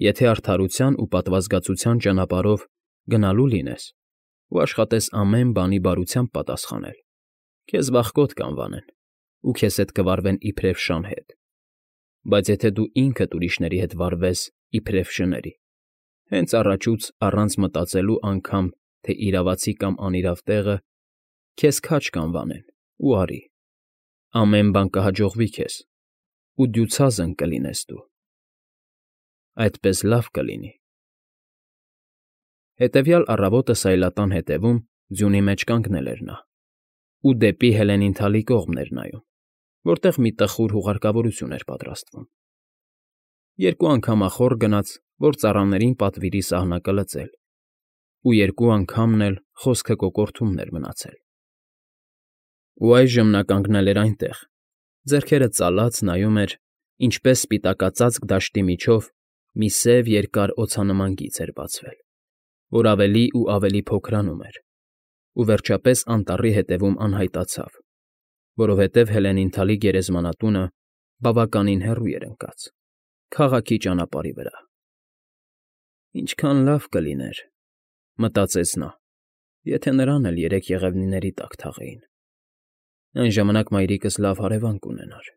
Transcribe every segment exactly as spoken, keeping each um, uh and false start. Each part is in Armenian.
Եթե արդարության ու պատվազգացության ճանապարհով գնալու լինես ու աշխատես ամեն բանի բարությամբ պատասխանել, քեզ վախկոտ կանվանեն ու քեզ հետ կվարվեն իբրև շան հետ, բայց եթե դու ինքդ ուրիշների հետ վարվես իբրև շների, հենց առաջուց առանց մտածելու անգամ, թե իրավացի կամ անիրավ տեղը, քեզ քաջ կանվանեն ու արի, ամեն բան կհաջողվի քեզ, ու դյուցազն կլինես դու… Այդպես լավ կլինի… Հետևյալ առավոտը սայլատան ետևում ձյունի մեջ կանգնել էր նա ու դեպի Հելենիանթալի կողմն էր նայում, որտեղ մի տխուր հուղարկավորություն էր պատրաստվում. երկու անգամ ախոր գնաց, որ ծառաներին պատվիրի սահնակը լծել, ու երկու անգամն էլ խոսքը կոկորդումն էր մնացել… Ու այժմ նա կանգնել էր այնտեղ, ձեռքերը ծալած նայում էր, ինչպես սպիտակածածկ դաշտի միջով մի սև երկար օձանման գիծ էր բացվել, որ ավելի ու ավելի փոքրանում էր, ու վերջապես անտառի ետևում անհայտացավ, որովհետև Հելենիանթալի գերեզմանատունը բավականին հեռու էր ընկած, քաղաքի ճանապարհի վրա… Ինչքան լավ կլիներ, մտածեց նա, եթե նրան էլ երեք եղևնիների տակ թաղեին, այն ժամանակ մայրիկս լավ հարևան կունենար…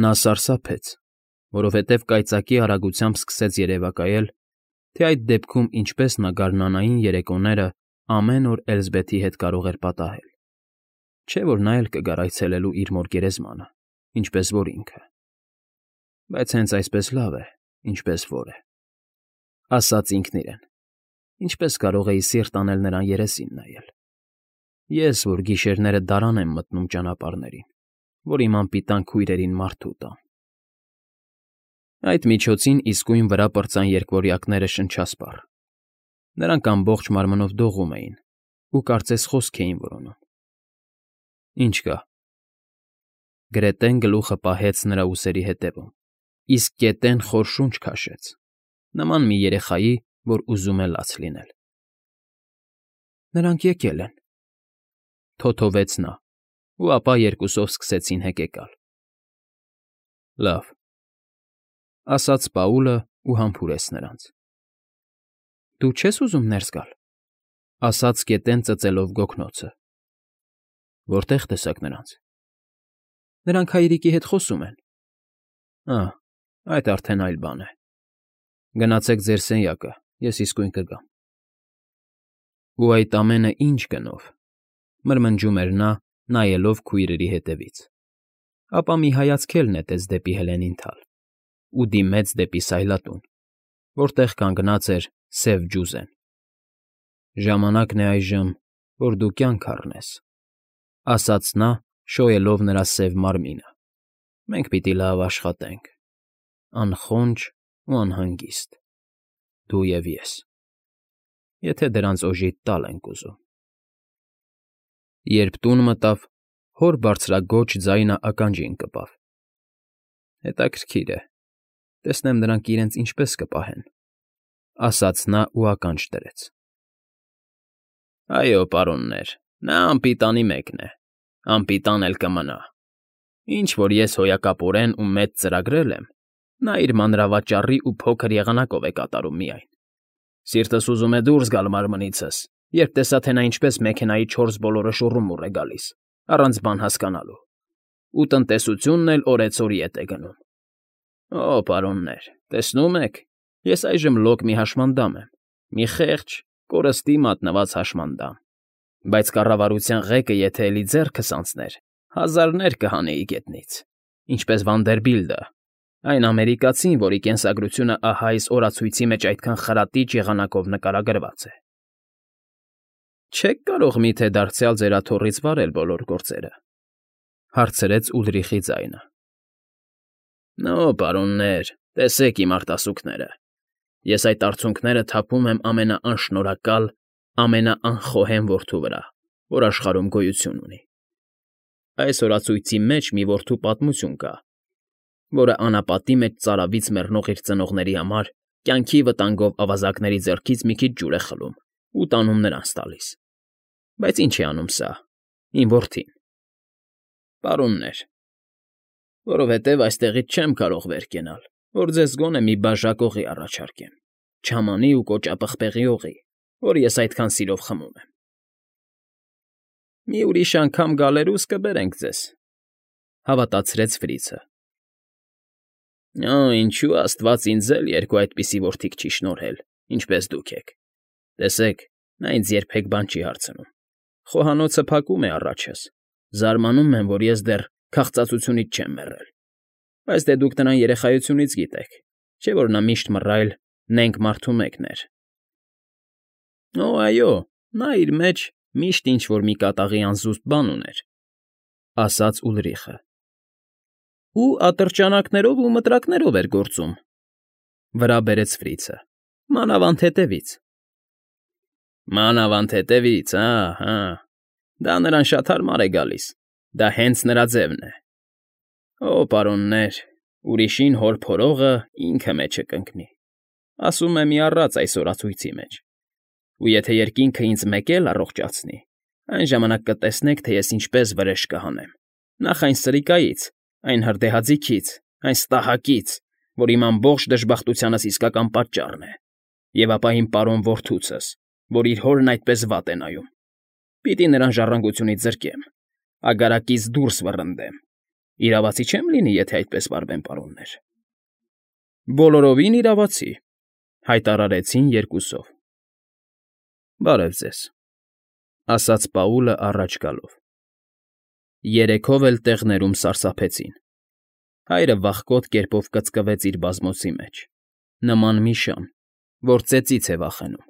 Նա սարսափեց, որովհետև կայծակի արագությամբ սկսեց երևակայել, թե այդ դեպքում ինչպես նա գարնանային երեկոները ամեն օր Էլզբեթի հետ կարող էր պատահել, չէ՞ որ նա էլ կգար այցելելու իր մոր գերեզմանը, ինչպես որ ինքը… Բայց հենց այսպես լավ է, ինչպես որ է, ասաց ինքն իրեն, ինչպես կարող էի սիրտ անել նրան երեսին նայել… Ես, որ գիշերները դարան եմ մտնում ճանապարհներին, որ իմ անպիտան քույրերին մարդու տամ… Այդ միջոցին իսկույն վրա պրծան երկվորյակները շնչասպառ, նրանք ամբողջ մարմնով դողում էին ու կարծես խոսք էին որոնում… Ինչ կա… Գրետեն գլուխը պահեց նրա ուսերի ետևում, իսկ կետեն խոր շունչ քաշեց, նման մի երեխայի, որ ուզում է լաց լինել… Նրանք եկել են… Թոթովեց նա, ու ապա երկուսով սկսեցին հեկեկալ… Լավ…֊ ասաց Պաուլը ու համբուրեց նրանց։ ֊ Դու չե՞ս ուզում ներս գալ,֊ ասաց գետեն ծծելով գոգնոցը։ ֊ Որտե՞ղ տեսաք նրանց։ ֊ Նրանք հայրիկի հետ խոսում են։ ֊ Ա՜, այդ արդեն այլ բան է… Գնացեք ձեր սենյակը, ես իսկույն կգամ… Ու այդ ամենը ի՞նչ գնով,֊ մրմնջում էր նա, նայելով քույրերի ետևից, ապա մի հայացք էլ նետեց դեպի Հելենիանթալ ու դիմեց դեպի սայլատուն, որտեղ կանգնած էր սև ջուզեն։ «Ժամանակն է այժմ, որ դու կյանք առնես,֊ ասաց նա, շոյելով նրա սև մարմինը։֊ Մենք պիտի լավ աշխատենք, անխոնջ ու անհանգիստ, դու և ես, եթե դրանց օժիտ տալ ենք ուզում… Երբ տուն մտավ, հոր բարձրաձոչ ձայնը ականջին ընկավ։ «Հետաքրքիր է, տեսնեմ նրանք իրենց ինչպես կպահեն,֊ ասաց նա ու ականջ դրեց։ ֊ Այո, պարոններ, նա անպիտանի մեկն է, անպիտան էլ կմնա… Ինչ որ ես հոյակապորեն ու մեծ ծրագրել եմ, նա իր մանրավաճառի ու փոքր եղանակով է կատարում միայն… Սիրտս ուզում է դուրս գալ մարմնիցս, երբ տեսա, թե նա ինչպես մեքենայի չորս բոլորը շուռումուռ է գալիս, առանց բան հասկանալու, ու տնտեսությունն էլ օրեցօր ետ է գնում… Օ, պարոններ, տեսնո՞ւմ եք, ես այժմ լոկ մի հաշմանդամ եմ, մի խեղճ, կորստի մատնված հաշմանդամ, բայց կառավարության ղեկը եթե էլի ձեռքս անցներ, հազարներ կհանեի գետնից, ինչպես Վանդերբիլտը, այն ամերիկացին, որի կենսագրությունը ահա այս օրացույցի մեջ այդքան խրատիճ եղանակով նկարագրված է… Չե՞ք կարող մի՞թե դարձյալ ձեր աթոռից վարել բոլոր գործերը,֊ հարցրեց Ուլրիխի ձայնը։ ֊ Օ, պարոններ, տեսեք իմ արտասուքները… Ես այդ արցունքները թափում եմ ամենաանշնորհակալ, ամենաանխոհեմ որդու վրա, որ աշխարհում գոյություն ունի… Այս օրացույցի մեջ մի որդու պատմություն կա, որը անապատի մեջ ծարավից մեռնող իր ծնողների համար կյանքի վտանգով ավազակների ձեռքից մի քիչ ջուր է խլում ու տանում նրանց տալիս… Բայց ինչ է անում սա, իմ որդին… Պարոններ… Որովհետև այստեղից չեմ կարող վեր կենալ, որ ձեզ գոնե մի բաժակ օղի առաջարկեմ, չամանի ու կոճապղպեղի օղի, որ ես այդքան սիրով խմում եմ։ ֊ Մի ուրիշ անգամ գալերուս կբերենք ձեզ,֊ հավատացրեց Ֆրիցը։ ֊ Օ՜, ինչու աստված ինձ էլ երկու այդպիսի որդիկ չի շնորհել, ինչպես դուք եք. տեսեք, նա ինձ երբեք բան չի հարցնում, խոհանոցը փակում է առաջս, զարմանում եմ, որ ես դեռ քաղցածությունից չեմ մեռել, բայց դե դուք նրան երեխայությունից գիտեք, չէ՞ որ նա միշտ մռայլ նենգ մարդու մեկն էր։ ֊ Օ, այո, նա իր մեջ միշտ ինչ֊որ մի կատաղի անզուսպ բան ուներ,֊ ասաց Ուլրիխը։ ֊ Ու ատրճանակներով ու մտրակներով էր գործում,֊ վրա բերեց Ֆրիցը,֊ մանավանդ հետևից։ ֊ Մանավանդ հետևից, ա՛հա, դա նրան շատ հարմար է գալիս, դա հենց նրա ձևն է։ Օ, պարոններ, ուրիշին հոր փորողը ինքը մեջը կընկնի, ասում է մի առած այս օրացույցի մեջ, ու եթե երկինքը ինձ մեկ էլ առողջացնի, այն ժամանակ կտեսնեք, թե ես ինչպես վրեժ կհանեմ, նախ այն սրիկայից, այն հրդեհաձիգից, այն ստահակից, որ իմ ամբողջ դժբախտությանս իսկական պատճառն է, և ապա իմ պարոն որդուցս, որ իր հորն այդպես վատ է նայում, պիտի նրան ժառանգությունից զրկեմ, ագարակից դուրս վռնդեմ, իրավացի չեմ լինի, եթե այդպես վարվեմ, պարոններ։ ֊ Բոլորովին իրավացի,֊ հայտարարեցին երկուսով։ ֊ Բարև ձեզ,֊ ասաց Պաուլը առաջ գալով։ Երեքով էլ տեղներում սարսափեցին։ Հայրը վախկոտ կերպով կծկվեց իր բազմոցի մեջ, նման մի շան, որ ծեծից է վախենում։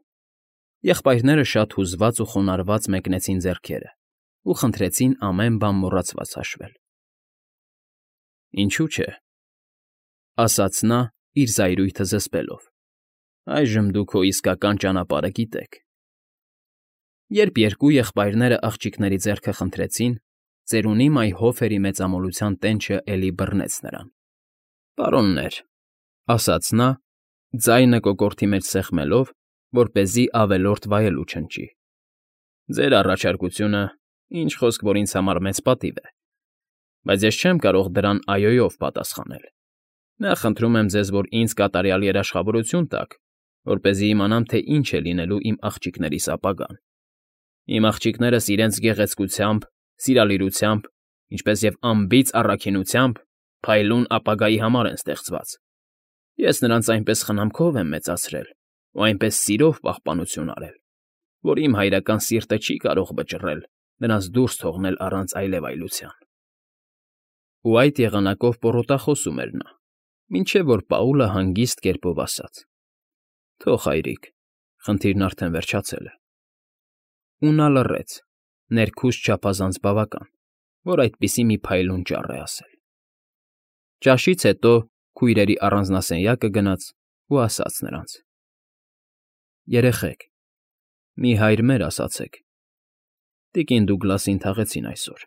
Եղբայրները շատ հուզված ու խոնարհված մեկնեցին ձեռքերը ու խնդրեցին ամեն բան մոռացված հաշվել։ ֊ Ինչու՞ չէ,֊ ասաց նա՝ իր զայրույթը զսպելով,֊ այժմ դուք քո իսկական ճանապարհը գիտեք։ Երբ երկու եղբայրները աղջիկների ձեռքը խնդրեցին, ծերունի մայ Հոֆերի մեծամոլության տենչը էլի բռնեց նրան։ ֊ Պարոններ,֊ ասաց նա, ձայնը կոկորդի մեջ սեղմելով, որպեսզի ավելորդ վայելուչ հնչի,֊ ձեր առաջարկությունը, ինչ խոսք, որ ինձ համար մեծ պատիվ է, բայց ես չեմ կարող դրան այոյով պատասխանել։ Նախ խնդրում եմ ձեզ, որ ինձ կատարյալ երաշխավորություն տաք, որպեսզի իմանամ, թե ինչ է լինելու իմ աղջիկներիս ապագան։ Իմ աղջիկներս իրենց գեղեցկությամբ, սիրալիրությամբ, ինչպես և անբիծ առաքինությամբ փայլուն ապագայի համար են ստեղծված։ Ես նրանց այնպես խնամքով եմ մեծացրել ու այնպես սիրով պահպանություն արել, որ իմ հայրական սիրտը չի կարող վճռել նրանց դուրս թողնել առանց այլևայլության։ Ու այդ եղանակով պոռոտախոսում էր նա, մինչև որ Պաուլը հանգիստ կերպով ասաց. «Թող, հայրիկ, խնդիրն արդեն վերջացել է»։ Ու նա լռեց, ներքուստ չափազանց բավական, որ այդպիսի մի փայլուն ճառ է ասել։ Ճաշից հետո քույրերի առանձնասենյակը գնաց ու ասաց նրանց. «Երեխեք, մի հայր մեր ասացեք, տիկին Դուգլասին թաղեցին այսօր»։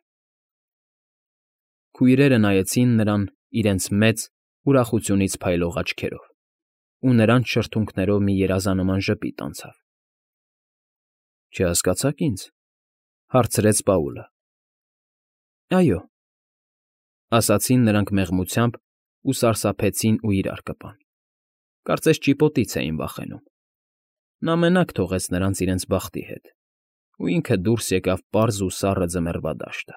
Քույրերը նայեցին նրան իրենց մեծ, ուրախությունից փայլող աչքերով, ու նրանց շրթունքներով մի երազանման ժպիտ անցավ։ ֊ Չհասկացաք ինձ,֊ հարցրեց Պաուլը։ ֊ Այո,֊ ասացին նրանք մեղմությամբ ու սարսափեցին ու իրար կպան. կարծես ճիպոտից էին վախենում։ Նա մենակ թողեց նրանց իրենց բախտի հետ, ու ինքը դուրս եկավ պարզ ու սառը ձմեռվա դաշտը։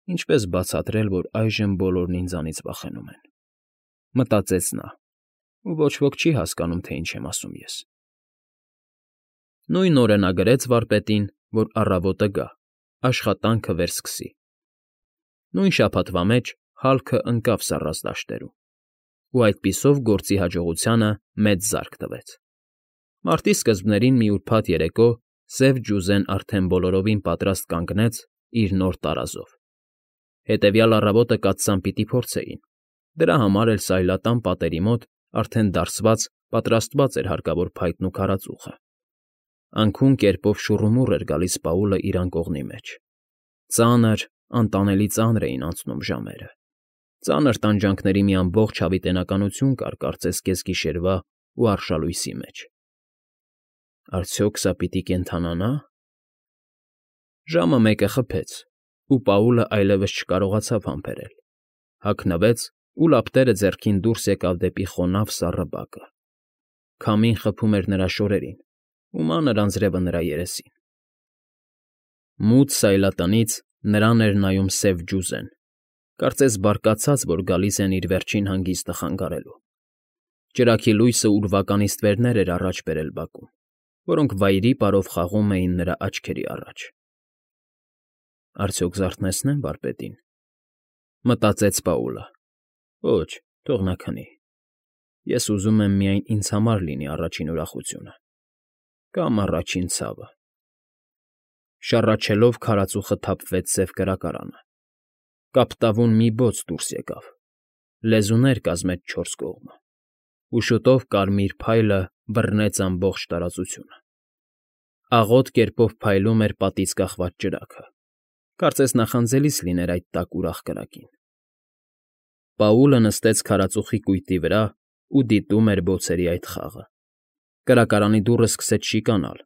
Ինչպես բացատրել, որ այժմ բոլորն ինձանից վախենում են, մտածեց նա, ու ոչ ոք չի հասկանում, թե ինչ եմ ասում ես։ Նույն օրը նա գրեց վարպետին, որ առավոտը գա, աշխատանքը վերսկսի։ Նույն շաբաթվա մեջ հալքը ընկավ սառած դաշտերում, ու այդպիսով գործի հաջողությանը մեծ զարկ տվեց։ Մարտի սկզբներին մի ուրբաթ երեկո սև ջուզեն արդեն բոլորովին պատրաստ կանգնեց իր նոր տարազով։ Հետևյալ առավոտը կաթսան պիտի փորձեին, դրա համար էլ սայլատան պատերի մոտ արդեն դարսված պատրաստված էր հարկավոր փայտն ու քարածուխը։ Անքուն կերպով շուռումուռ էր գալիս Պաուլը իր անկողնի մեջ։ Ծանր, անտանելի ծանր էին անցնում ժամերը։ Ծանր տանջանքների մի ամբողջ հավիտենականություն կար կարծես կեսգիշերվա ու արշալույսի մեջ։ Արդյոք սա պիտի կենդանանա՞։ Ժամը մեկը խփեց, ու Պաուլը այլևս չկարողացավ համբերել, հագնվեց ու լապտերը ձեռքին դուրս եկավ դեպի խոնավ սառը բակը. քամին խփում էր նրա շորերին ու մանր անձրևը նրա երեսին։ Մութ սայլատնից նրան էր նայում սև ջուզեն, կարծես բարկացած, որ գալիս են իր վերջին հանգիստը խանգարելու։ Ճրագի լույսը ուրվական իստվերներ էր առաջ բերել բակում, որոնք վայրի պարով խաղում էին նրա աչքերի առաջ։ Արդյոք զարթնեցնե՞մ վարպետին, մտածեց Պաուլը։ Ոչ, թող նա քնի։ Ես ուզում եմ միայն ինձ համար լինի առաջին ուրախությունը, կամ առաջին ցավը։ Շառաչելով քարածուխը թափվեց սև կրակարանը։ Կապտավուն մի բոց դուրս եկավ, լեզուներ կազմեց չորս կողմը, ու շուտով կարմիր փայլը բռնեց ամբողջ տարածությունը։ Աղոտ կերպով փայլում էր պատից կախված ճրագը, կարծես նախանձելիս լիներ այդ տաք ուրախ կրակին։ Պաուլը նստեց քարածուխի կույտի վրա ու դիտում էր բոցերի այդ խաղը։ Կրակարանի դուռը սկսեց շիկանալ,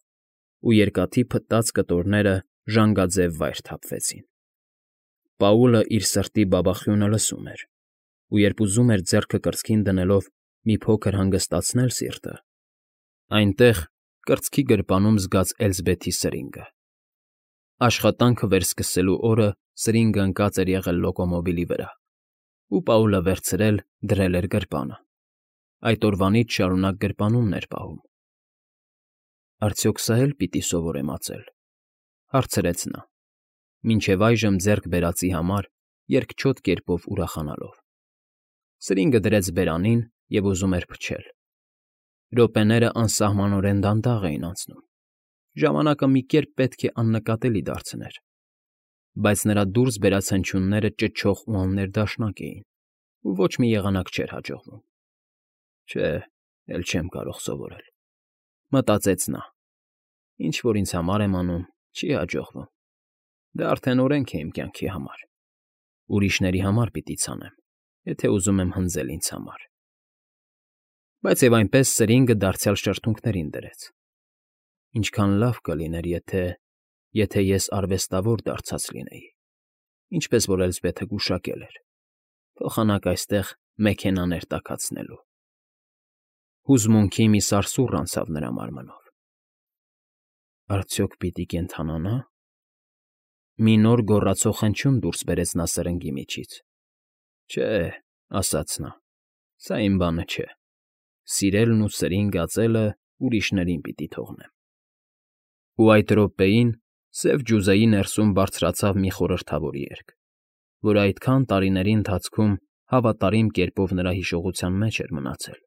ու երկաթի փտած կտորները ժանգաձև վայր թափվեցին։ Պաուլը իր սրտի բաբախյունը լսում էր, ու երբ ուզում էր ձեռքը կրծքին դնելով մի փոքր հանգստացնել սիրտը, այնտեղ, կրծքի գրպանում զգաց Էլզբեթի սրինգը։ Աշխատանքը վերսկսելու օրը սրինգը ընկած էր եղել լոկոմոբիլի վրա, ու Պաուլը վերցրել, դրել էր գրպանը։ Այդ օրվանից շարունակ գրպանումն էր պահում։ Արդյոք սա էլ պիտի սովորեմ ածել, հարցրեց նա, մինչև այժմ ձեռք բերածի համար երկչոտ կերպով ուրախանալով։ Սրինգը դրեց բերանին և ուզում էր փչել։ Րոպեները անսահմանորեն դանդաղ էին անցնում, ժամանակը մի կերպ պետք է աննկատելի դարձներ, բայց նրա դուրս բերած հնչյունները ճչող ու աններդաշնակ էին, ու ոչ մի եղանակ չէր հաջողվում։ Չէ, էլ չեմ կարող սովորել, մտածեց նա։ Ինչ որ ինձ համար եմ անում, չի հաջողվում։ Դա արդեն օրենք է իմ կյանքի համար։ Ուրիշների համար պիտի ցանեմ, եթե ուզում եմ հնձել ինձ համար։ Բայց և այնպես սրինգը դարձյալ շրթունքներին դրեց։ Ինչքան լավ կլիներ, եթե… եթե ես արվեստավոր դարձած լինեի, ինչպես որ Էլզբեթը գուշակել էր, փոխանակ այստեղ մեքենաներ տաքացնելու։ Հուզմունքի մի սարսուռ անցավ նրա մարմնով։ Արդյոք պիտի կենդանանա՞։ Մի նոր գոռացող հնչյուն դուրս բերեց նա սրնգի միջից։ Չէ, ասաց նա, սա իմ բանը չէ։ Սիրելն ու սրինգ ածելը ուրիշներին պիտի թողնեմ։ Ու այդ րոպեին սև ջուզեի ներսում բարձրացավ մի խորհրդավոր երգ, որը այդքան տարիների ընթացքում հավատարիմ կերպով նրա հիշողության մեջ էր մնացել։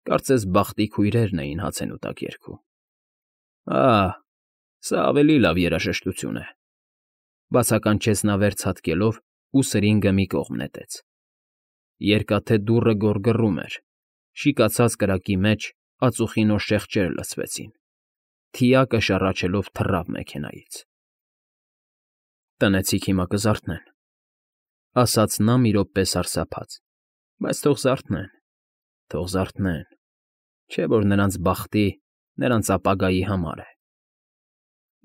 Կարծես բախտի քույրերն էին հացենուտակ երգում։ Ահ, սա ավելի լավ երաժշտություն է, բացականչեց նա վեր ցատկելով ու սրինգը մի կողմ նետեց։ Երկաթե դուռը գոռգոռում էր, շիկացած կրակի մեջ ածուխի նոր շեղջեր լսվեցին, թիակը շառաչելով թռավ մեքենայից։ Տնեցիք հիմա կզարթնեն, ասաց նա մի րոպե սարսափած, բայց թող զարթնեն, թող զարթնեն, չէ որ նրանց բախտի, նրանց ապագայի համար է։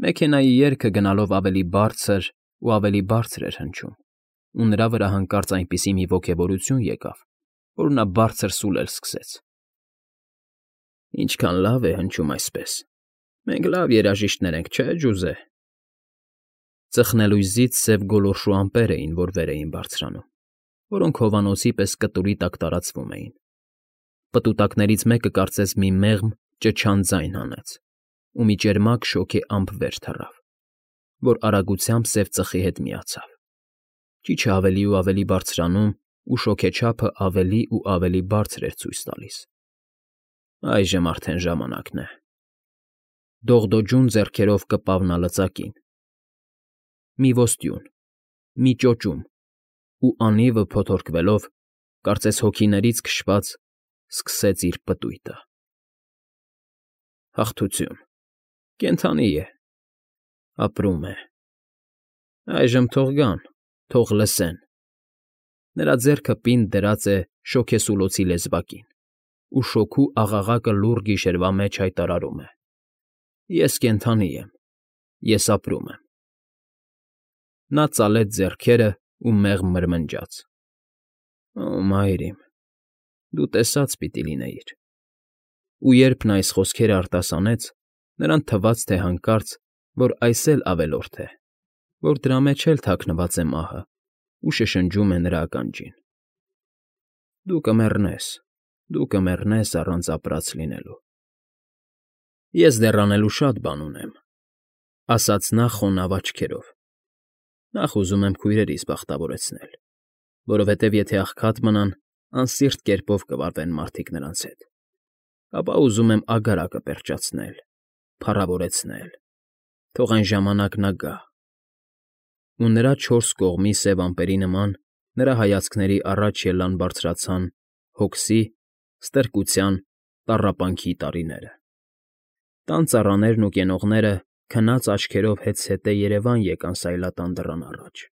Մեքենայի երգը գնալով ավելի բարձր ու ավելի բարձր էր հնչում, ու նրա վրա հանկարծ այնպիսի մի ոգևորություն եկավ, որ նա բարձր սուլել սկսեց։ Ինչքան լավ է հնչում այսպես։ Մենք լավ երաժիշտներ ենք, չէ՞, ջուզե։ Ծխնելույզից սև գոլորշու ամպեր էին, որ վեր էին բարձրանում, որոնք հովանոցի պես կտուրի տակ տարածվում էին։ Պտուտակներից մեկը կարծես մի մեղմ ճչան ձայն հանեց, ու մի ճերմակ շոգե ամպ վեր թռավ, որ արագությամբ սև ծխի հետ միացավ։ Ճիչը ավելի ու ավելի բարձրանում ու շոգեչափը ավելի ու ավելի բարձր էր ցույց տալիս։ Այժմ արդեն ժամանակն է։ Դողդոջուն ձեռքերով կպավ նա լծակին։ Մի ոստյուն, մի ճոճում, ու անիվը փոթորկվելով, կարծես հոգիներից քշված, սկսեց իր պտույտը։ Հաղթություն, կենդանի է, ապրում է։ Այժմ թող գան, թող լսեն։ Նրա ձեռքը պինդ դրած է շոգեսուլոցի լեզվակին, ու շոգու աղաղակը լուռ գիշերվա մեջ հայտարարում է. Ես կենդանի եմ, ես ապրում եմ։ Նա ծալեց ձեռքերը ու մեղմ մրմնջաց։ Օ, մայր իմ, դու տեսած պիտի լինեիր։ Ու երբ նա այս խոսքերը արտասանեց, նրան թվաց, թե հանկարծ, որ այս էլ ավելորդ է, որ դրա մեջ էլ թաքնված է մահը ու շշնջում է նրա ականջին. «Դու կմեռնես, դու կմեռնես առանց ապրած լինելու»։ «Ես դեռ անելու շատ բան ունեմ»,֊ ասաց նա խոնավ աչքերով։ «Նախ ուզում եմ քույրերիս բախտավորեցնել, որովհետև եթե աղքատ մնան, անսիրտ կերպով կվարվեն մարդիկ նրանց հետ, ապա ուզում եմ ագարակը պերճացնել, փառավորեցնել, թող այն ժամանակն ա գա»։ Ու նրա չորս կողմի սև ամպերի նման նրա հայացքների առաջ ելան բարձրացան հոգսի, ստրկության, տառապանքի տարիները։ Տան ծառաներն ու կենողները քնած աչքերով հետզհետե երևան եկան սայլատան դռան առաջ,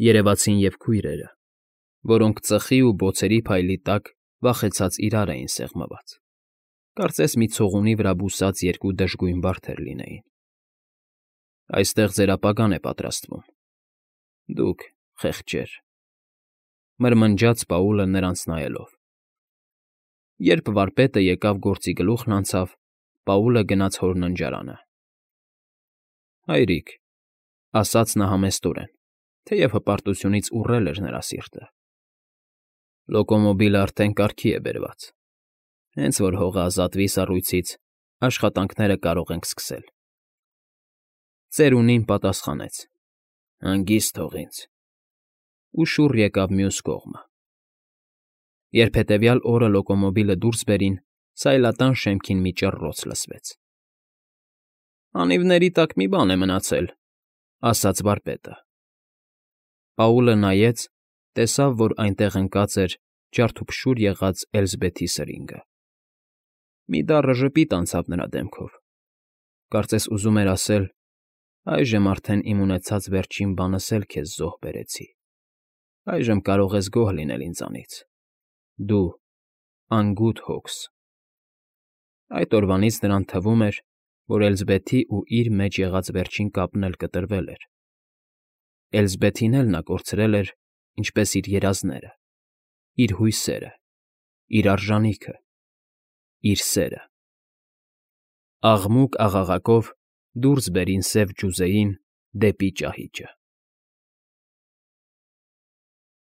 երևացին և քույրերը, որոնք ծխի ու բոցերի փայլի տակ վախեցած իրար էին սեղմված, կարծես մի ցողունի վրա բուսած երկու դժգույն վարդեր լինեին։ «Այստեղ ձեր ապագան է պատրաստվում, դուք, խեղճեր», մրմնջաց Պաուլը նրանց նայելով։ Երբ վարպետը եկավ գործի գլուխն անցավ, Պաուլը գնաց հոր ննջարանը։ «Հայրիկ», ասաց նա համեստորեն, թեև հպարտությունից ուռել էր նրա սիրտը, «լոկոմոբիլը արդեն կարգի է բերված, հենց որ հողը ազատվի սառույցից, աշխատանքները կարող ենք սկսել»։ Ծերունին պատասխանեց. «Հանգիստ թող ինձ», ու շուռ եկավ մյուս կողմը։ Երբ հետևյալ օրը լոկոմոբիլը դուրս բերին, սայլատան շեմքին մի ճռռոց լսվեց։ «Անիվների տակ մի բան է մնացել», ֊ ասաց վարպետը։ Պաուլը նայեց, տեսավ, որ այնտեղ ընկած էր ջարդուփշուր եղած Էլզբեթի սրինգը։ Մի դառը ժպիտ անցավ նրա դեմքով, կարծես ուզում էր ասել. «Այժմ արդեն իմ ունեցած վերջին բանս էլ քեզ զոհ բերեցի, այժմ կարող ես գոհ լինել ինձանից, դու, անգութ հոգս»։ Այդ օրվանից նրան թվում էր, որ Էլզբեթի ու իր մեջ եղած վերջին կապն էլ կտրվել էր։ Էլզբեթին էլ նա կորցրել էր, ինչպես իր երազները, իր հույսերը, իր արժանիքը, իր սերը։ Աղմուկ աղաղակով դուրս բերին սև ջուզեին դեպի ճահիճը։